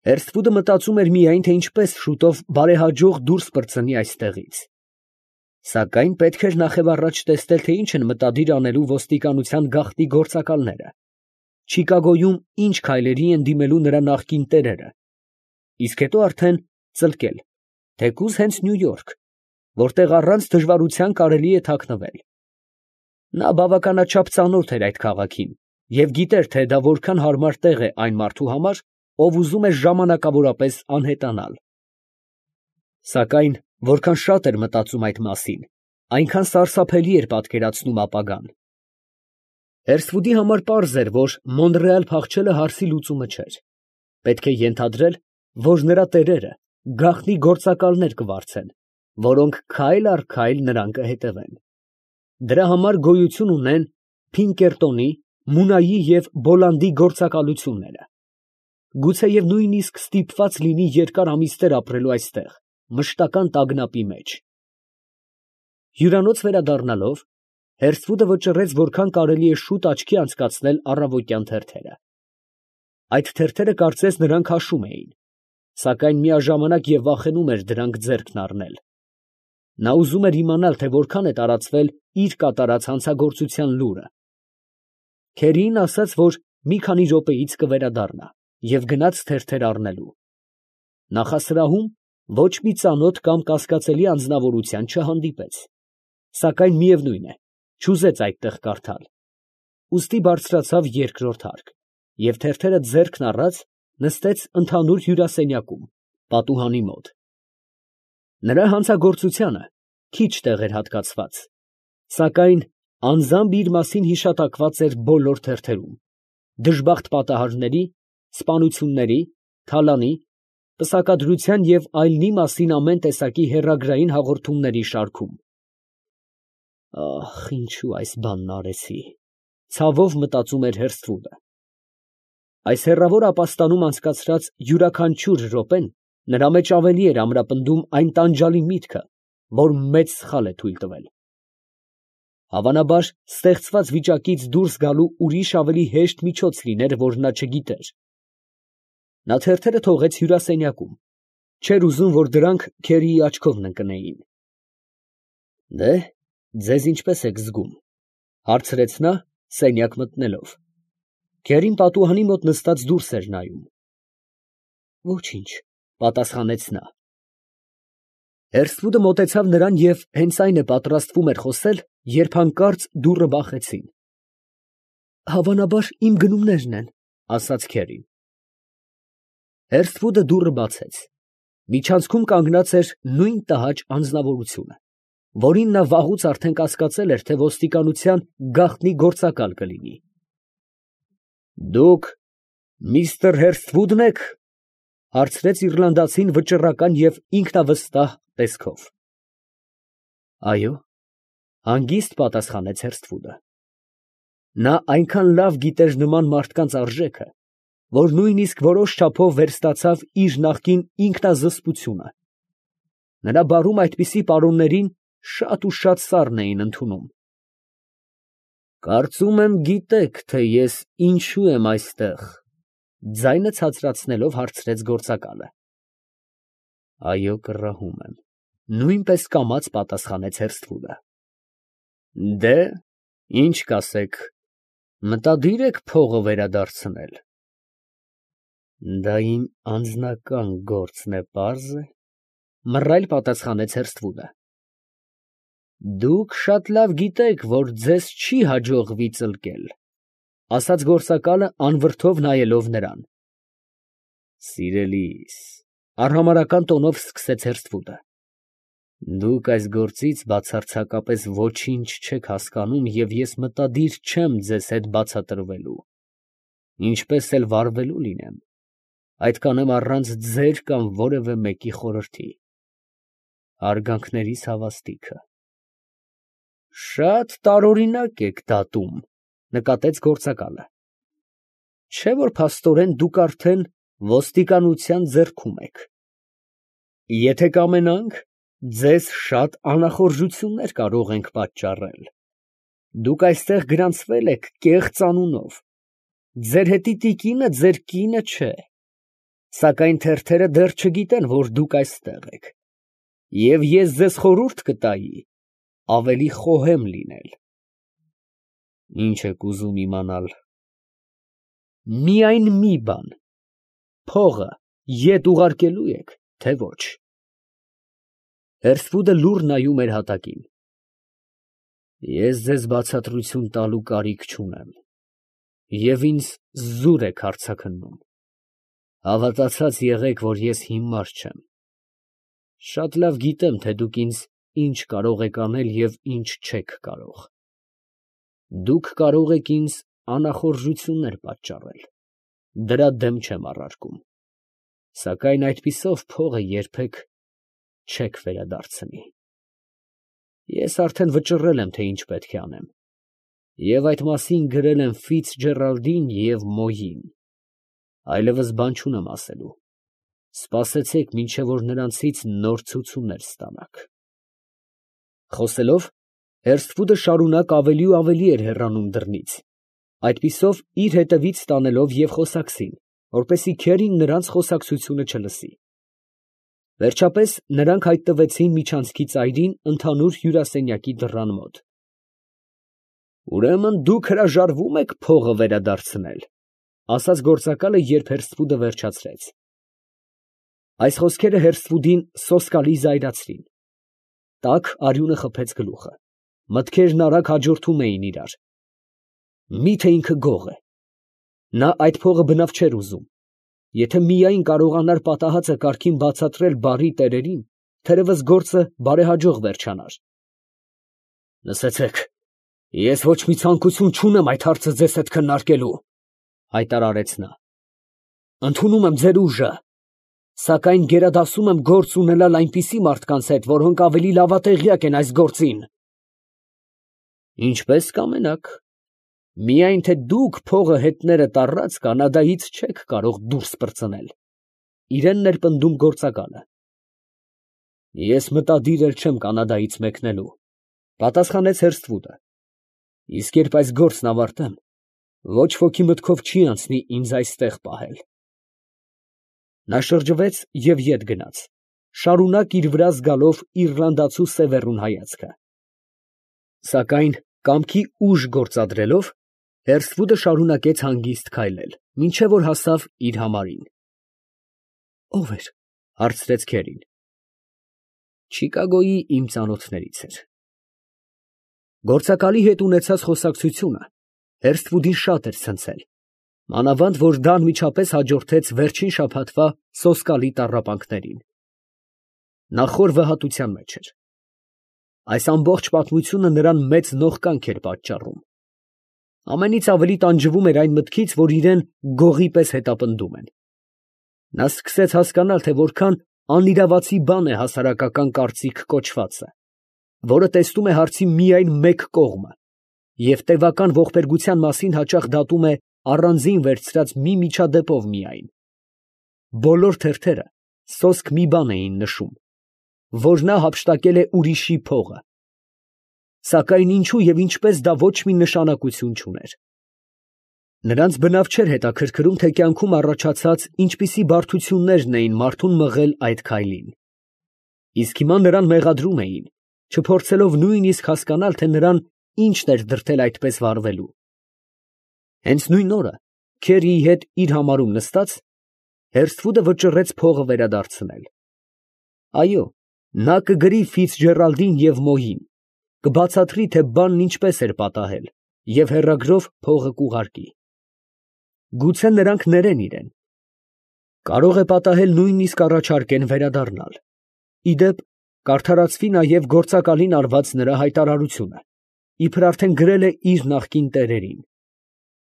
Հերսֆուդը մտածում էր միայն, թե ինչպես շուտով բարեհաջող դուրս պրծնի այստեղից. սակայն պետք էր նախևառաջ տեսնել, թե ինչ են մտադիր անելու ոստիկանության գաղտնի գործակալները, Չիկագոյում ինչ քայլերի են դիմելու նրա նախկին տերերը, իսկ հետո արդեն ծլկել, թեկուզ հենց Նյու Յորք, որտեղ առանց դժվարության կարելի է թաքնվել։ Նա բավականաչափ ծանոթ էր այդ քաղաքին և գիտեր, թե դա որքան հարմար տեղ է այն մարդու համար, ով ուզում է ժամանակավորապես անհետանալ։ Սակայն որքան շատ էր մտածում այդ մասին, այնքան սարսափելի էր պատկերացնում ապագան։ Հերսֆուդի համար պարզ էր, որ Մոնրեալ փախչելը հարցի լուծումը չէր։ Պետք է ենթադրել, որ նրա տերերը գաղտնի գործակալներ կվարձեն, որոնք քայլ առ քայլ նրան կհետևեն։ Դրա համար գոյություն ունեն Փինկերտոնի, Մունայի և Բոլանդի գործակալությունները։ Գուցեև նույնիսկ ստիպված լինի երկար ամիսներ ապրելու այստեղ, մշտական տագնապի մեջ։ Հյուրանոց վերադառնալով, Հերսֆուդը վճռեց որքան կարելի է շուտ աչքի անցկացնել առավոտյան թերթերը։ Այդ թերթերը կարծես նրան քաշում էին, սակայն միաժամանակ և վախենում էր դրանք ձեռքն առնել։ Նա ուզում էր իմանալ, թե որքան է տարածվել իր կատարած հանցագործության լուրը։ Քերիին ասաց, որ մի քանի րոպեից կվերադառնա և գնաց թերթեր առնելու։ Նախասրահում ոչ մի ծանոթ կամ կասկածելի անձնավորության չհանդիպեց, սակայն միևնույն է, չուզեց այդտեղ կարդալ։ Ուստի բարձրացավ երկրորդ հարկ և թերթերը ձեռքն առած նստեց ընդհանուր հյուրասենյակում, պատուհանի մոտ։ Նրա հանցագործությանը քիչ տեղ էր հատկացված, սակայն անձամբ իր մասին հիշատակված էր բոլոր թերթերում, դժբախտ պատահարների, սպանությունների, թալանի, պսակադրության և այլնի մասին ամեն տեսակի հեռագրային հաղորդումների շարքում։ Ահ, ինչու այս բանն արեցի, ցավով մտածում էր Հերսֆուդը։ Այս հեռավոր ապաստանում անցկացրած յուրաքանչյուր րոպեն նրա մեջ ավելի էր ամրապնդում այն տանջալի միտքը, որ մեծ սխալ է թույլ տվել։ Հավանաբար, ստեղծված վիճակից դուրս գալու ուրիշ ավելի հեշտ միջոց լիներ, որ նա չգիտեր։ Նա թերթերը թողեց հյուրասենյակում, չէր ուզում, որ դրանք Քերիի աչքովն ընկնեին։ Դե, ձեզ ինչպես եք զգում, ֊ հարցրեց նա, սենյակ մտնելով։ Քերին պատուհանի մոտ նստած դուրս էր նայում։ Ոչինչ, ֊ պատասխանեց նա։ Հերսֆուդը մոտեցավ նրան և հենց այն է պատրաստվում էր խոսել, երբ հանկարծ դուռը բախեցին։ Հավանաբար իմ գնումներն են, ֊ ասաց Քերին։ Հերսֆուդը դուռը բացեց։ Միջանցքում կանգնած էր նույն տհաճ անձնավորությունը, որին նա վաղուց արդեն կասկածել էր, թե ոստիկանության գաղտնի գործակալ կլինի։ Դուք միստր Հերսֆուդն եք, ֊ հարցրեց իռլանդացին վճռական և ինքնավստահ տեսքով։ Այո, ֊ հանգիստ պատասխանեց Հերսֆուդը։ Նա այնքան լավ գիտեր նման մարդկանց արժեքը, որ նույնիսկ որոշ չափով վերստացավ իր նախկին ինքնազսպությունը։ Նրա բարում այդպիսի պարոններին շատ ու շատ սառն էին ընդունում։ Կարծում եմ գիտեք, թե ես ինչու եմ այստեղ, ֊ ձայնը ցածրացնելով հարցրեց գործակալը։ Այո, կռահում եմ, ֊ նույնպես կամաց պատասխանեց Հերսֆուդը։ Դե, ինչ կասեք, մտադիր եք փողը վերադարձնել։ Դա իմ անձնական գործն է, պարզ է, ֊ մռայլ պատասխանեց Հերսֆուդը։ Դուք շատ լավ գիտեք, որ ձեզ չի հաջողվի ծլկել, ֊ ասաց գործակալը անվրդով նայելով նրան։ Սիրելիս, ֊ արհամարհական տոնով սկսեց Հերսֆուդը, դուք այս գործից բացարձակապես ոչինչ չեք հասկանում և ես մտադիր չեմ ձեզ հետ բացատրվելու, ինչպես էլ վարվելու լինեմ, այդ կանեմ առանց ձեր կամ որևէ մեկի խորհրդի, հարգանքներիս հավաստիքը։ Շատ տարօրինակ եք դատում, ֊ նկատեց գործակալը։ Չէ՞ որ փաստորեն դուք արդեն ոստիկանության ձեռքում եք։ Եթե կամենանք, ձեզ շատ անախորժություններ կարող ենք պատճառել։ Դուք այստեղ գրանցվել եք կեղծ անունով, ձեր հետի տիկինը ձեր կինը չէ։ Սակայն թերթերը դեռ չգիտեն, որ դուք այստեղ եք, և ես ձեզ խորհուրդ կտայի ավելի խոհեմ լինել։ Ինչ եք ուզում իմանալ։ Միայն մի բան, փողը ետ ուղարկելու եք, թե ոչ։ Հերսվուդը լուռ նայում էր հատակին։ Ես ձեզ բացատրություն տալու կարիք չունեմ, և ինձ զուր եք արձագաննում։ Հավատացած եղեք, որ ես հիմար չեմ։ Շատ լավ գիտեմ, թե դուք ինձ ինչ կարող եք անել և ինչ չեք կարող։ Դուք կարող եք ինձ անախորժություններ պատճառել, դրա դեմ չեմ առարկում, սակայն այդպիսով փողը երբեք չեք վերադարձնի։ Ես արդեն վճռել եմ, թե ինչ պետք է անեմ, և այդ մասին գրել եմ Ֆիցջերալդին և Մոյին, այլևս բան չունեմ ասելու, սպասեցեք, մինչև որ նրանցից նոր ցուցումներ ստանաք։ Խոսելով, Հերսվուդը շարունակ ավելի ու ավելի էր հեռանում դռնից, այդպիսով իր հետևից տանելով և խոսակցին, որպեսզի քերին նրանց խոսակցությունը չլսի։ Վերջապես նրանք հայտնվեցին միջանցքի ծայրին ընդհանուր հյուրասենյակի դռան մոտ։ Ուրեմն դուք հրաժարվում եք փողը վերադարձնել, ֊ ասաց գործակալը, երբ Հերսվուդը վերջացրեց։ Այս խոսքերը Հերսվուդին սոսկալի զայրացրին։ Տաք արյունը խփեց գլուխը, մտքերն արագ հաջորդում էին իրար։ Միթե ինքը գող է։ Նա այդ փողը բնավ չէր ուզում։ Եթե միայն կարողանար պատահածը կարգին բացատրել բարի տերերին, թերևս գործը բարեհաջող վերջանար։ Լսեցեք, ես ոչ մի ցանկություն չունեմ այդ հարցը ձեզ հետ քննարկելու, ֊ հայտարարեց նա։ Ընդունում եմ ձեր ուժը, սակայն գերադասում եմ գործ ունենալ այնպիսի մարդկանց հետ, որոնք ավելի լավատեղյակ են այս գործին։ Ինչպես կամենաք, միայն թե դուք փողը հետներդ առած Կանադայից չեք կարող դուրս պրծնել, ֊ իրան ներպնդում գործակալը։ Ես մտադիր էլ չեմ Կանադայից մեկնելու, ֊ պատասխանեց Հերսթվուդը, իսկ երբ այս գործն ավարտեմ, ոչ ոքի մտքով չի անցնի ինձ այստեղ պահել։ Նա շրջվեց և ետ գնաց, շարունակ իր վրա զգալով իռլանդացու սևեռուն հայացքը։ Սակայն կամքի ուժ գործադրելով, Հերսվուդը շարունակեց հանգիստ քայլել, մինչև որ հասավ իր համարին։ Ո՞վ էր, ֊ հարցրեց քերին։ Չիկագոյի իմ ծանոթներից էր։ Գործակալի հետ ունեցած խոսակցությունը Հերսթվուդին շատ էր ցնցել, մանավանդ որ դա անմիջապես հաջորդեց վերջին շաբաթվա սոսկալի տառապանքներին։ Նա խոր վհատության մեջ էր։ Այս ամբողջ պատմությունը նրան մեծ նողկանք էր պատճառում։ Ամենից ավելի տանջվում էր այն մտքից, որ իրան գողի պես հետապնդում են։ Նա սկսեց հասկանալ, թե որքան անիրավացի բան է հասարակական կարծիք կոչվածը, որը տեսնում է հարցի միայն մեկ կողմը և տևական ողբերգության մասին հաճախ դատում է առանձին վերցրած մի միջադեպով միայն։ Բոլոր թերթերը սոսկ մի բան էին նշում, որ նա հափշտակել է ուրիշի փողը։ Սակայն ինչու և ինչպես դա ոչ մի նշանակություն չուներ։ Նրանց բնավ չէր հետաքրքրում, թե կյանքում առաջացած ինչպիսի բարդություններն էին մարդուն մղել այդ քայլին։ Իսկ հիմա նրան մեղադրում էին, չփորձելով նույնիսկ հասկանալ, թե նրան ինչն էր դրդել այդպես վարվելու։ Հենց նույն օրը, Քերիի հետ իր համարում նստած, Հերսթվուդը վճռեց փողը վերադարձնել։ Այո, նա կգրի Ֆիցջերալդին և Մոյին, կբացատրի, թե բանն ինչպես էր պատահել, և հեռագրով փողը կուղարկի։ Գուցե նրանք ներեն իրեն։ Կարող է պատահել նույնիսկ առաջարկեն վերադառնալ։ Ի դեպ, կարդարացվի նաև գործակալին արված նրա հայտարարությունը, իբր արդեն գրել է իր նախկին տերերին։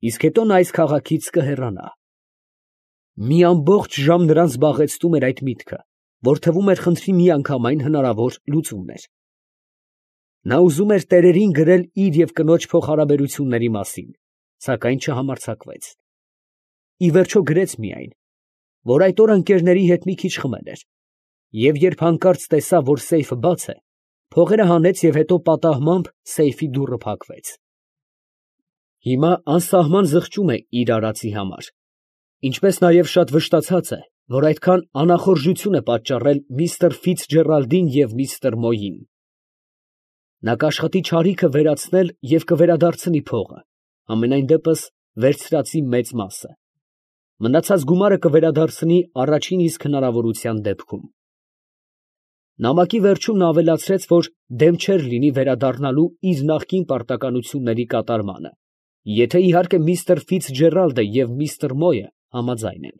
Իսկ հետո նա այս քաղաքից կհեռանա։ Մի ամբողջ ժամ նրան զբաղեցնում էր այդ միտքը, որ թվում էր խնդրի միանգամայն հնարավոր լուծումն էր։ Նա ուզում էր տերերին գրել իր և կնոջ փոխհարաբերությունների մասին, սակայն չհամարձակվեց։ Ի վերջո գրեց միայն, որ այդ օրը ընկերների հետ մի քիչ խմել էր, և երբ հանկարծ տեսավ, որ սեյֆը բաց է, փողերը հանեց և հետո պատահմամբ սեյֆի դուռը փակվեց։ Հիմա անսահման զղջում է իր արածի համար, ինչպես նաև շատ վշտացած է, որ այդքան անախորժություն է պատճառել միստր Ֆիցջերալդին և միստր Մոյին։ Նա կաշխատի չարիքը վերացնել և կվերադարձնի փողը, համենայն դեպս վերցրածի մեծ մասը. մնացած գումարը կվերադարձնի առաջին իսկ հնարավորության դեպքում։ Նամակի վերջում նա ավելացրեց, որ դեմ չէր լինի վերադառնալու իր նախկին պարտականությունների կատարմանը, եթե իհարկե միստր Ֆիցջերալդը և միստր Մոյը համաձայն են։